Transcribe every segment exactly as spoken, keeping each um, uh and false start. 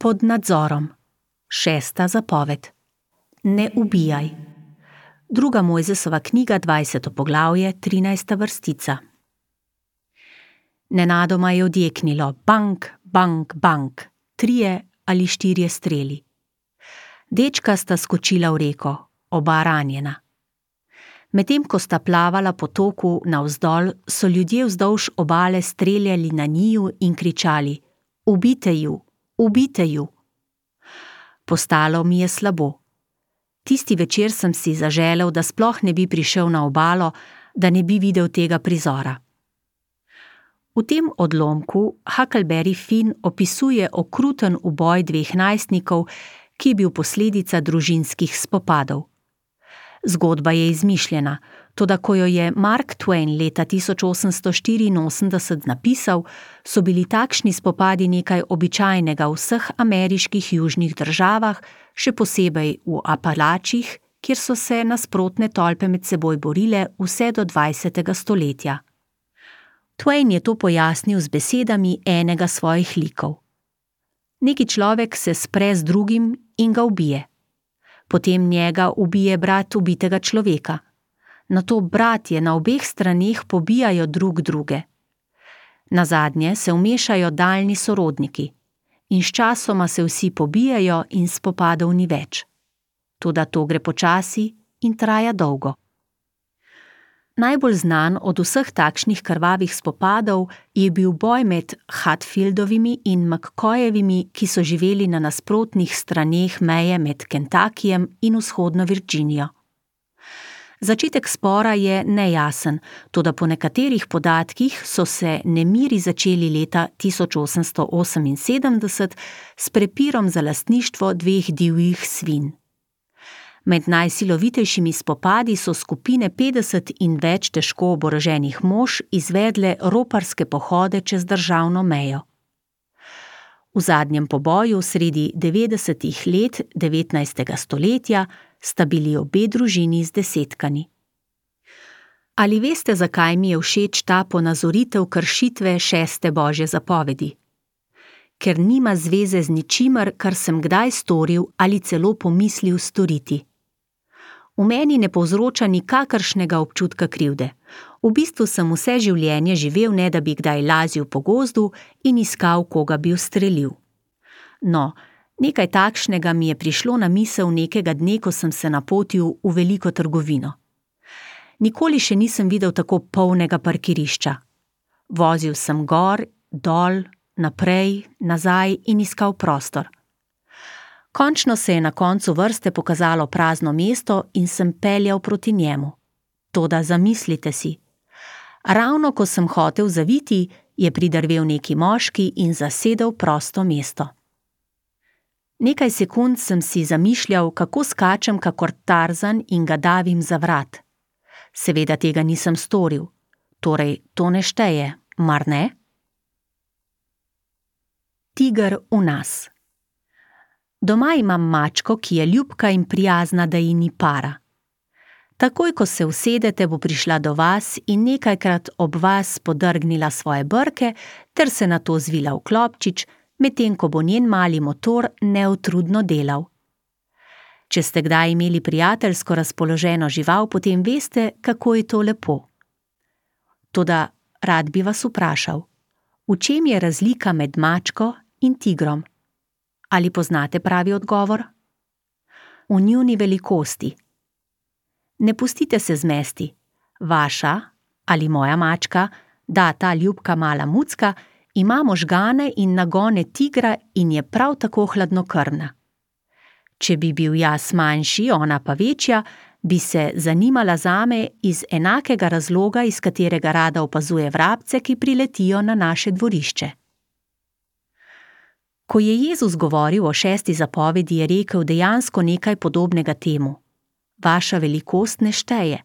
Pod nadzorom. Šesta zapoved. Ne ubijaj. Druga Mojzesova knjiga, dvajseto poglavje, trinajsta vrstica. Nenadoma je odjeknilo bank, bank, bank, trije ali štirje streli. Dečka sta skočila v reko, oba ranjena. Medtem ko sta plavala po toku navzdol, so ljudje vzdolž obale streljali na njiju in kričali: Ubite ju, ubite ju. Postalo mi je slabo. Tisti večer sem si zaželel, da sploh ne bi prišel na obalo, da ne bi videl tega prizora. V tem odlomku Huckleberry Finn opisuje okruten uboj dveh najstnikov, ki je bil posledica družinskih spopadov. Zgodba je izmišljena, toda ko jo je Mark Twain leta tisoč osemsto štiriinosemdeset napisal, so bili takšni spopadi nekaj običajnega v vseh ameriških južnih državah, še posebej v Apalachih, kjer so se nasprotne tolpe med seboj borile vse do dvajsetega stoletja. Twain je to pojasnil z besedami enega svojih likov. Neki človek se spre z drugim in ga ubije. Potem njega ubije brat ubitega človeka. Nato bratje na obeh straneh pobijajo drug druge. Nazadnje se vmešajo daljni sorodniki in sčasoma se vsi pobijajo in spopadov ni več. Toda to gre počasi in traja dolgo. Najbolj znan od vseh takšnih krvavih spopadov je bil boj med Hatfieldovimi in McCoyevimi, ki so živeli na nasprotnih straneh meje med Kentuckyjem in vzhodno Virginijo. Začetek spora je nejasen, toda po nekaterih podatkih so se nemiri začeli leta tisoč osemsto oseminsedemdeset s prepirom za lastništvo dveh divjih svin. Med najsilovitejšimi spopadi so skupine petdeset in več težko oboroženih mož izvedle roparske pohode čez državno mejo. V zadnjem poboju sredi devetdesetih let devetnajstega stoletja sta bili obe družini zdesetkani. Ali veste, zakaj mi je všeč ta ponazoritev kršitve šeste božje zapovedi? Ker nima zveze z ničimer, kar sem kdaj storil ali celo pomislil storiti. V meni ne povzroča nikakršnega občutka krivde. V bistvu sem vse življenje živel, ne da bi kdaj lazil po gozdu in iskal, koga bi ustrelil. No, nekaj takšnega mi je prišlo na misel nekega dne, ko sem se napotil v veliko trgovino. Nikoli še nisem videl tako polnega parkirišča. Vozil sem gor, dol, naprej, nazaj in iskal prostor. Končno se je na koncu vrste pokazalo prazno mesto in sem peljal proti njemu. Toda zamislite si. Ravno ko sem hotel zaviti, je pridrvel neki moški in zasedel prosto mesto. Nekaj sekund sem si zamišljal, kako skačem kakor Tarzan in ga davim za vrat. Seveda tega nisem storil. Torej, to ne šteje, mar ne? Tiger v nas. Doma imam mačko, ki je ljubka in prijazna, da ji ni para. Takoj, ko se usedete, bo prišla do vas in nekajkrat ob vas podrgnila svoje brke ter se nato zvila v klobčič, medtem ko bo njen mali motor neutrudno delal. Če ste kdaj imeli prijateljsko razpoloženo žival, potem veste, kako je to lepo. Toda rad bi vas vprašal, v čem je razlika med mačko in tigrom? Ali poznate pravi odgovor? V njuni velikosti. Ne pustite se zmesti. Vaša ali moja mačka, da ta ljubka mala mucka, ima možgane in nagone tigra in je prav tako hladnokrvna. Če bi bil jaz manjši, ona pa večja, bi se zanimala zame iz enakega razloga, iz katerega rada opazuje vrabce, ki priletijo na naše dvorišče. Ko je Jezus govoril o šesti zapovedi, je rekel dejansko nekaj podobnega temu. Vaša velikost ne šteje.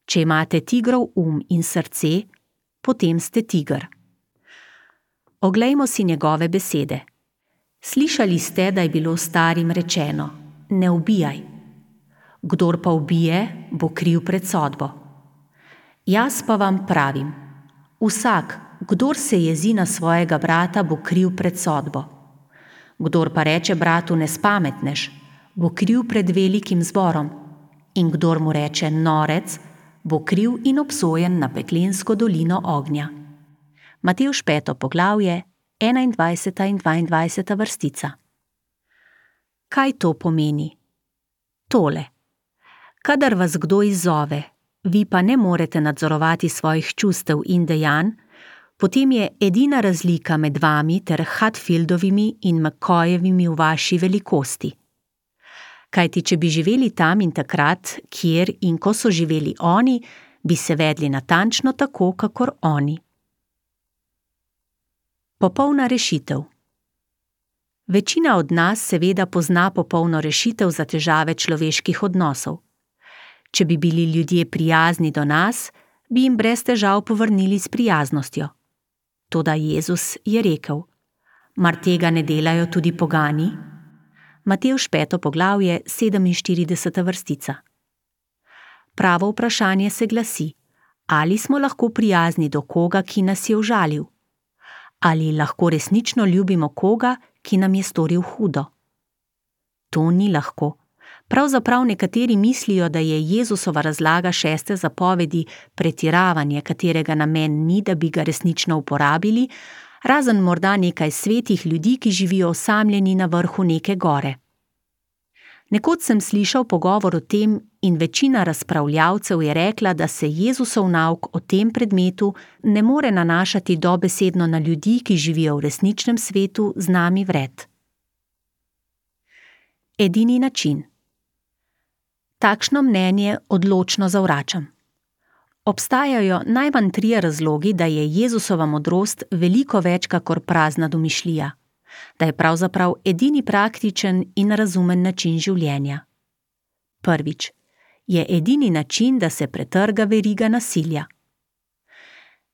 Če imate tigrov um in srce, potem ste tiger. Oglejmo si njegove besede. Slišali ste, da je bilo starim rečeno: ne ubijaj. Kdor pa ubije, bo kriv pred sodbo. Jaz pa vam pravim, vsak, kdor se jezi na svojega brata, bo kriv pred sodbo. Kdor pa reče bratu nespametnež, bo kriv pred velikim zborom, in kdor mu reče norec, bo kriv in obsojen na peklensko dolino ognja. Matevž peto poglavje, enaindvajseta in dvaindvajseta vrstica. Kaj to pomeni? Tole. Kadar vas kdo izzove, vi pa ne morete nadzorovati svojih čustev in dejanj, potem je edina razlika med vami ter Hatfieldovimi in McCoyevimi v vaši velikosti. Kajti, če bi živeli tam in takrat, kjer in ko so živeli oni, bi se vedli natančno tako, kakor oni. Popolna rešitev. Večina od nas seveda pozna popolno rešitev za težave človeških odnosov. Če bi bili ljudje prijazni do nas, bi jim brez težav povrnili s prijaznostjo. Toda Jezus je rekel: mar tega ne delajo tudi pogani? Matevž peto poglavje, sedeminštirideseta vrstica. Pravo vprašanje se glasi: ali smo lahko prijazni do koga, ki nas je užalil? Ali lahko resnično ljubimo koga, ki nam je storil hudo? To ni lahko. Pravzaprav nekateri mislijo, da je Jezusova razlaga šeste zapovedi pretiravanje, katerega namen ni, da bi ga resnično uporabili, razen morda nekaj svetih ljudi, ki živijo osamljeni na vrhu neke gore. Nekoč sem slišal pogovor o tem in večina razpravljavcev je rekla, da se Jezusov nauk o tem predmetu ne more nanašati dobesedno na ljudi, ki živijo v resničnem svetu z nami vred. Edini način. Takšno mnenje odločno zavračam. Obstajajo najmanj trije razlogi, da je Jezusova modrost veliko več kakor prazna domišljija, da je pravzaprav edini praktičen in razumen način življenja. Prvič, je edini način, da se pretrga veriga nasilja.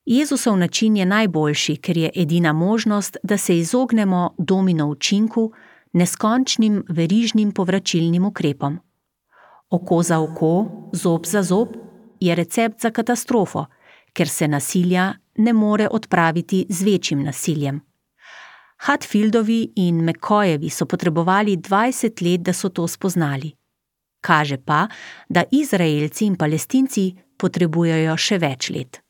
Jezusov način je najboljši, ker je edina možnost, da se izognemo domino učinku, neskončnim verižnim povračilnim ukrepom. Oko za oko, zob za zob je recept za katastrofo, ker se nasilja ne more odpraviti z večjim nasiljem. Hatfieldovi in McCoyevi so potrebovali dvajset let, da so to spoznali. Kaže pa, da Izraelci in Palestinci potrebujejo še več let.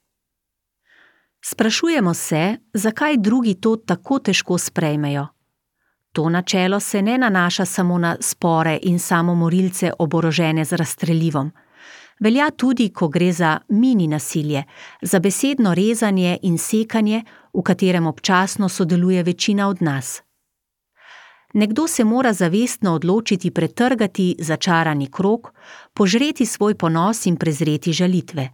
Sprašujemo se, zakaj drugi to tako težko sprejmejo. To načelo se ne nanaša samo na spore in samomorilce oborožene z razstrelivom. Velja tudi, ko gre za mini nasilje, za besedno rezanje in sekanje, v katerem občasno sodeluje večina od nas. Nekdo se mora zavestno odločiti pretrgati začarani krog, požreti svoj ponos in prezreti žalitve.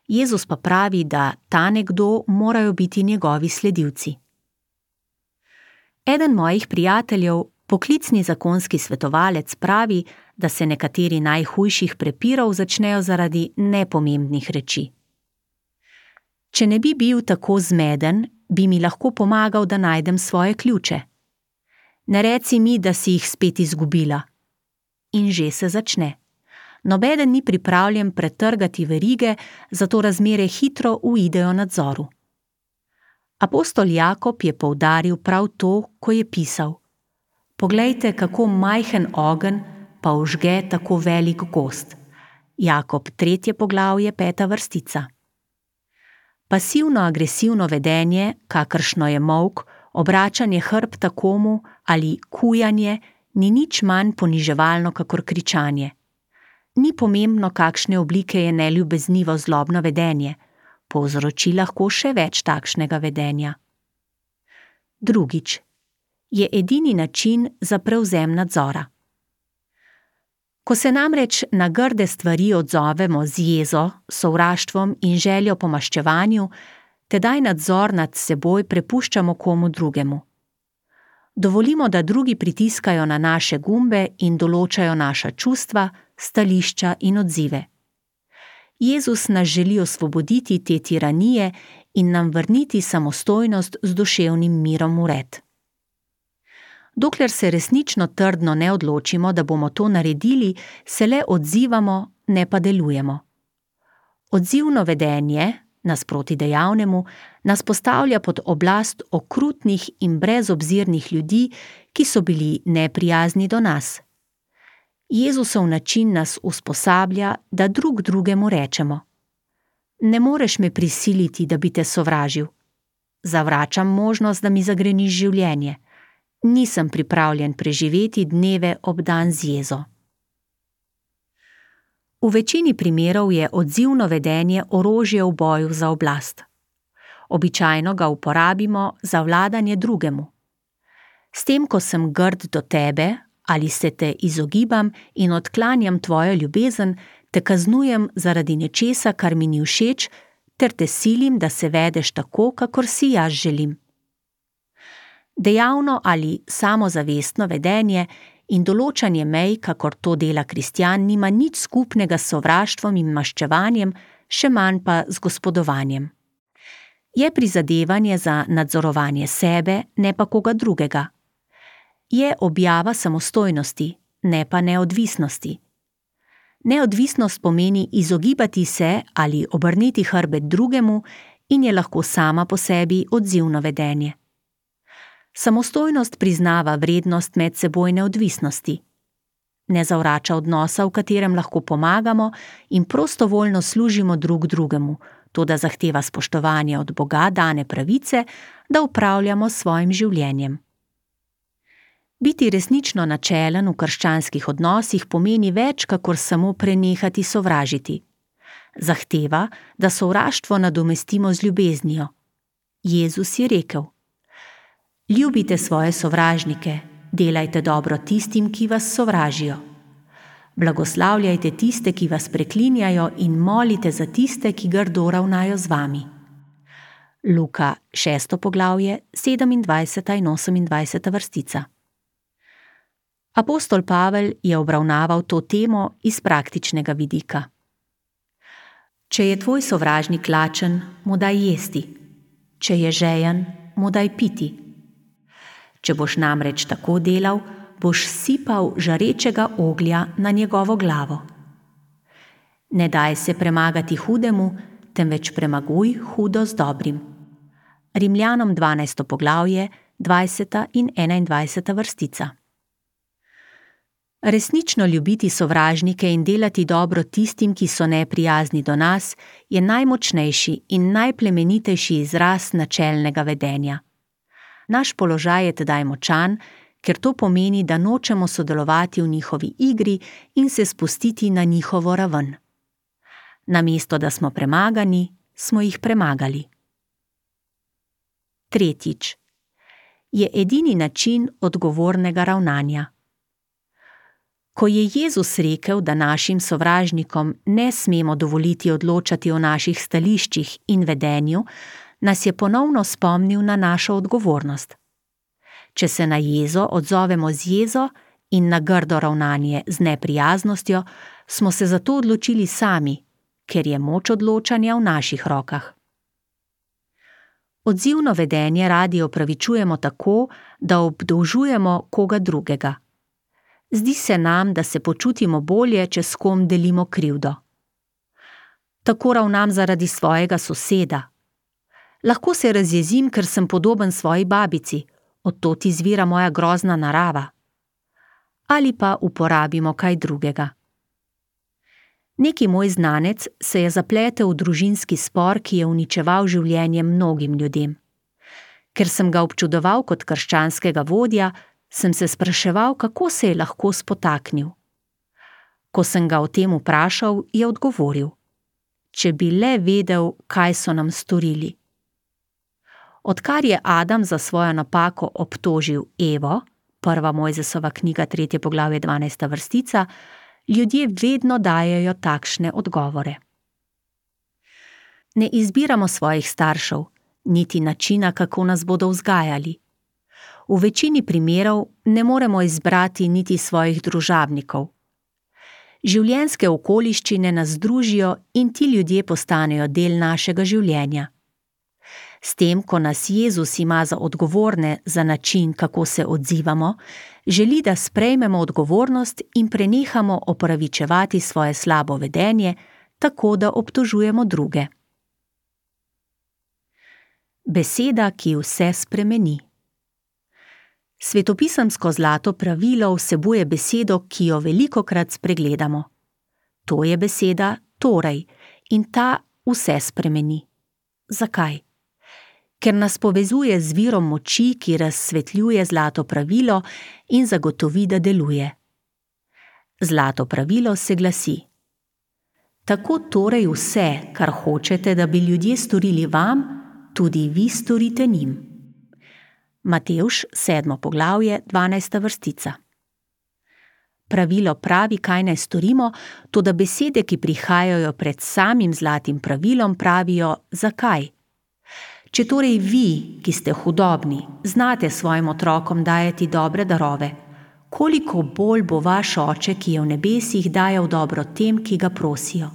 Jezus pa pravi, da ta nekdo morajo biti njegovi sledilci. Eden mojih prijateljev, poklicni zakonski svetovalec, pravi, da se nekateri najhujših prepirov začnejo zaradi nepomembnih reči. Če ne bi bil tako zmeden, bi mi lahko pomagal, da najdem svoje ključe. Ne reci mi, da si jih spet izgubila. In že se začne. Nobeden ni pripravljen pretrgati verige, zato razmere hitro uidejo nadzoru. Apostol Jakob je poudaril prav to, ko je pisal: poglejte, kako majhen ogenj pa užge tako velik gozd. Jakob tretje poglavje, peta vrstica. Pasivno-agresivno vedenje, kakršno je molk, obračanje hrbta komu ali kujanje, ni nič manj poniževalno kakor kričanje. Ni pomembno, kakšne oblike je neljubeznivo zlobno vedenje, povzroči lahko še več takšnega vedenja. Drugič, je edini način za prevzem nadzora. Ko se namreč na grde stvari odzovemo z jezo, sovraštvom in željo po maščevanju, tedaj nadzor nad seboj prepuščamo komu drugemu. Dovolimo, da drugi pritiskajo na naše gumbe in določajo naša čustva, stališča in odzive. Jezus nas želi osvoboditi te tiranije in nam vrniti samostojnost z duševnim mirom v red. Dokler se resnično trdno ne odločimo, da bomo to naredili, se le odzivamo, ne pa delujemo. Odzivno vedenje, Nasproti dejavnemu nas postavlja pod oblast okrutnih in brezobzirnih ljudi, ki so bili neprijazni do nas. Jezusov način nas usposablja, da drug drugemu rečemo: Ne moreš me prisiliti, da bi te sovražil. Zavračam možnost, da mi zagreniš življenje. Nisem pripravljen preživeti dneve obdan z jezo. V večini primerov je odzivno vedenje orožje v boju za oblast. Običajno ga uporabimo za vladanje drugemu. S tem, ko sem grd do tebe ali se te izogibam in odklanjam tvojo ljubezen, te kaznujem zaradi nečesa, kar mi ni všeč, ter te silim, da se vedeš tako, kakor si jaz želim. Dejavno ali samozavestno vedenje in določanje mej, kakor to dela kristjan, nima nič skupnega s sovraštvom in maščevanjem, še manj pa z gospodovanjem. Je prizadevanje za nadzorovanje sebe, ne pa koga drugega. Je objava samostojnosti, ne pa neodvisnosti. Neodvisnost pomeni izogibati se ali obrniti hrbet drugemu in je lahko sama po sebi odzivno vedenje. Samostojnost priznava vrednost medsebojne odvisnosti. Ne zavrača odnosa, v katerem lahko pomagamo in prostovoljno služimo drug drugemu, toda zahteva spoštovanje od Boga dane pravice, da upravljamo s svojim življenjem. Biti resnično načelen v krščanskih odnosih pomeni več, kakor samo prenehati sovražiti. Zahteva, da sovraštvo nadomestimo z ljubeznijo. Jezus je rekel: Ljubite svoje sovražnike, delajte dobro tistim, ki vas sovražijo. Blagoslavljajte tiste, ki vas preklinjajo, in molite za tiste, ki grdo ravnajo z vami. Luka, šesto poglavje, sedemindvajseta in osemindvajseta vrstica. Apostol Pavel je obravnaval to temo iz praktičnega vidika. Če je tvoj sovražnik lačen, mu daj jesti. Če je žejen, mu daj piti. Če boš namreč tako delal, boš sipal žarečega oglja na njegovo glavo. Ne daj se premagati hudemu, temveč premaguj hudo z dobrim. Rimljanom dvanajsto poglavje, dvajseta in enaindvajseta vrstica. Resnično ljubiti sovražnike in delati dobro tistim, ki so neprijazni do nas, je najmočnejši in najplemenitejši izraz načelnega vedenja. Naš položaj je tedaj močan, ker to pomeni, da nočemo sodelovati v njihovi igri in se spustiti na njihovo raven. Namesto da smo premagani, smo jih premagali. Tretjič. Je edini način odgovornega ravnanja. Ko je Jezus rekel, da našim sovražnikom ne smemo dovoliti odločati o naših stališčih in vedenju, nas je ponovno spomnil na našo odgovornost. Če se na jezo odzovemo z jezo in na grdo ravnanje z neprijaznostjo, smo se zato odločili sami, ker je moč odločanja v naših rokah. Odzivno vedenje radi opravičujemo tako, da obdolžujemo koga drugega. Zdi se nam, da se počutimo bolje, če s kom delimo krivdo. Tako ravnam zaradi svojega soseda. Lahko se razjezim, ker sem podoben svoji babici, od tod izvira moja grozna narava. Ali pa uporabimo kaj drugega. Neki moj znanec se je zapletel v družinski spor, ki je uničeval življenje mnogim ljudem. Ker sem ga občudoval kot krščanskega vodja, sem se spraševal, kako se je lahko spotaknil. Ko sem ga o tem vprašal, je odgovoril: Če bi le vedel, kaj so nam storili. Odkar je Adam za svojo napako obtožil Evo, prva Mojzesova knjiga, tretje poglavje, dvanajsta vrstica, ljudje vedno dajejo takšne odgovore. Ne izbiramo svojih staršev, niti načina, kako nas bodo vzgajali. V večini primerov ne moremo izbrati niti svojih družabnikov. Življenjske okoliščine nas združijo in ti ljudje postanejo del našega življenja. S tem, ko nas Jezus ima za odgovorne za način, kako se odzivamo, želi, da sprejmemo odgovornost in prenehamo opravičevati svoje slabo vedenje, tako da obtožujemo druge. Beseda, ki vse spremeni. Svetopisemsko zlato pravilo vsebuje besedo, ki jo velikokrat spregledamo. To je beseda torej in ta vse spremeni. Zakaj? Ker nas povezuje z virom moči, ki razsvetljuje zlato pravilo in zagotovi, da deluje. Zlato pravilo se glasi: tako torej vse, kar hočete, da bi ljudje storili vam, tudi vi storite njim. Matevž, sedmo poglavje, dvanajsta vrstica. Pravilo pravi, kaj naj storimo, toda besede, ki prihajajo pred samim zlatim pravilom, pravijo, zakaj. Če torej vi, ki ste hudobni, znate svojim otrokom dajati dobre darove, koliko bolj bo vaš Oče, ki je v nebesih, dajal dobro tem, ki ga prosijo.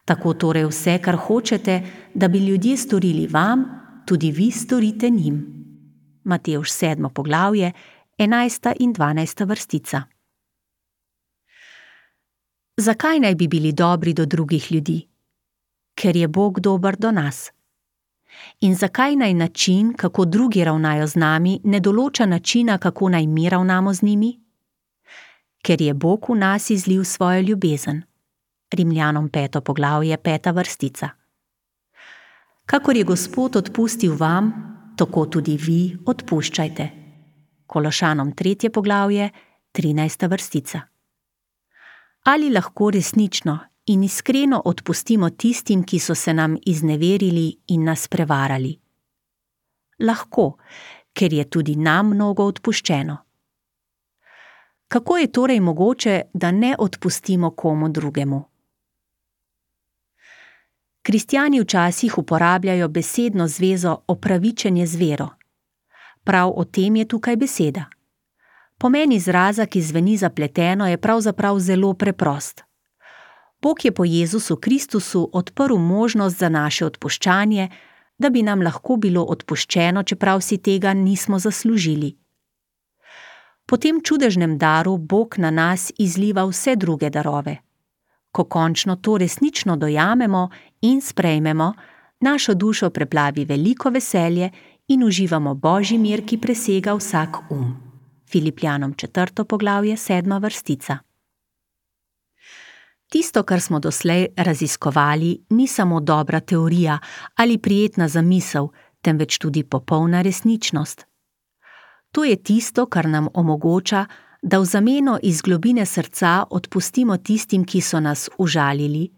Tako torej vse, kar hočete, da bi ljudje storili vam, tudi vi storite njim. Matevž sedmo poglavje, enajsta in dvanajsta vrstica. Zakaj naj bi bili dobri do drugih ljudi? Ker je Bog dober do nas. In zakaj naj način, kako drugi ravnajo z nami, ne določa načina, kako naj mi ravnamo z njimi? Ker je Bog v nas izlil svojo ljubezen. Rimljanom peto poglavje, peta vrstica. Kakor je Gospod odpustil vam, tako tudi vi odpuščajte. Kološanom tretje poglavje, trinajsta vrstica. Ali lahko resnično in iskreno odpustimo tistim, ki so se nam izneverili in nas prevarali? Lahko, ker je tudi nam mnogo odpuščeno. Kako je torej mogoče, da ne odpustimo komu drugemu? Kristjani včasih uporabljajo besedno zvezo opravičenje z vero. Prav o tem je tukaj beseda. Pomen izraza, ki zveni zapleteno, je pravzaprav zelo preprost. Bog je po Jezusu Kristusu odprl možnost za naše odpuščanje, da bi nam lahko bilo odpuščeno, čeprav si tega nismo zaslužili. Po tem čudežnem daru Bog na nas izliva vse druge darove. Ko končno to resnično dojamemo in sprejmemo, našo dušo preplavi veliko veselje in uživamo Božji mir, ki presega vsak um. Filipljanom četrto poglavje, sedma vrstica. Tisto, kar smo doslej raziskovali, ni samo dobra teorija ali prijetna zamisel, temveč tudi popolna resničnost. To je tisto, kar nam omogoča, da v zameno iz globine srca odpustimo tistim, ki so nas užalili,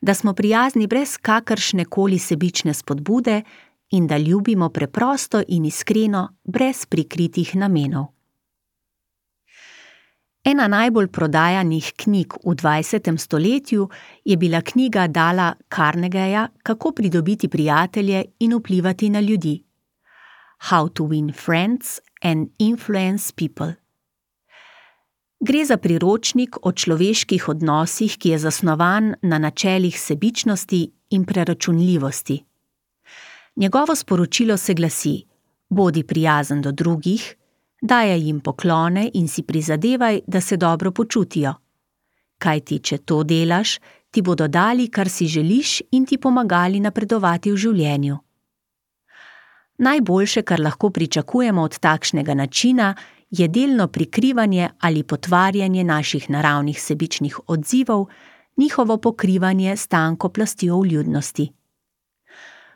da smo prijazni brez kakršne koli sebične spodbude in da ljubimo preprosto in iskreno, brez prikritih namenov. Ena najbolj prodajanih knjig v dvajsetem stoletju je bila knjiga Dala Carnegeja Kako pridobiti prijatelje in vplivati na ljudi. How to win friends and influence people. Gre za priročnik o človeških odnosih, ki je zasnovan na načelih sebičnosti in preračunljivosti. Njegovo sporočilo se glasi: bodi prijazen do drugih, dajaj jim poklone in si prizadevaj, da se dobro počutijo. Kajti, če to delaš, ti bodo dali, kar si želiš in ti pomagali napredovati v življenju. Najboljše, kar lahko pričakujemo od takšnega načina, je delno prikrivanje ali potvarjanje naših naravnih sebičnih odzivov, njihovo pokrivanje s tanko plastjo vljudnosti.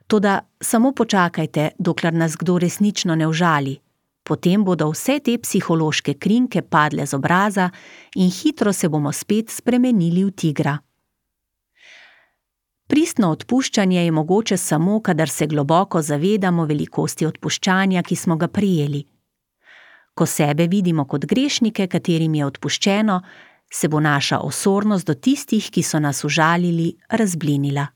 Toda samo počakajte, dokler nas kdo resnično ne užali. Potem bodo vse te psihološke krinke padle z obraza in hitro se bomo spet spremenili v tigra. Pristno odpuščanje je mogoče samo, kadar se globoko zavedamo velikosti odpuščanja, ki smo ga prijeli. Ko sebe vidimo kot grešnike, katerim je odpuščeno, se bo naša osornost do tistih, ki so nas užalili, razblinila.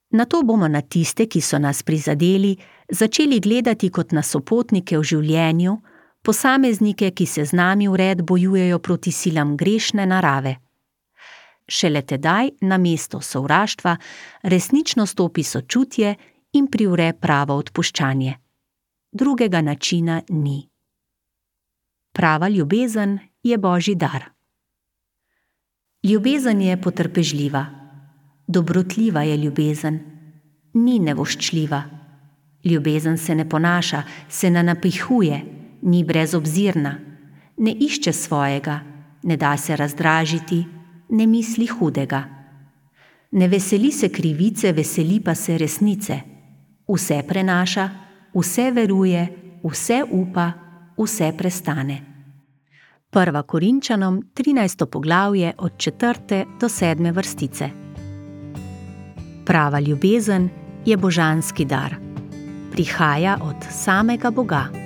Nato bomo na tiste, ki so nas prizadeli, začeli gledati kot na sopotnike v življenju, posameznike, ki se z nami vred bojujejo proti silam grešne narave. Šele tedaj na mesto sovraštva resnično stopi sočutje in privre pravo odpuščanje. Drugega načina ni. Prava ljubezen je Božji dar. Ljubezen je potrpežljiva, dobrotljiva je ljubezen, ni nevoščljiva. Ljubezen se ne ponaša, se ne napihuje, ni brezobzirna, ne išče svojega, ne da se razdražiti, ne misli hudega. Ne veseli se krivice, veseli pa se resnice. Vse prenaša, vse veruje, vse upa, vse prestane. Prva Korinčanom, trinajsto poglavje od četrte do sedme vrstice. Prava ljubezen je božanski dar. Prihaja od samega Boga.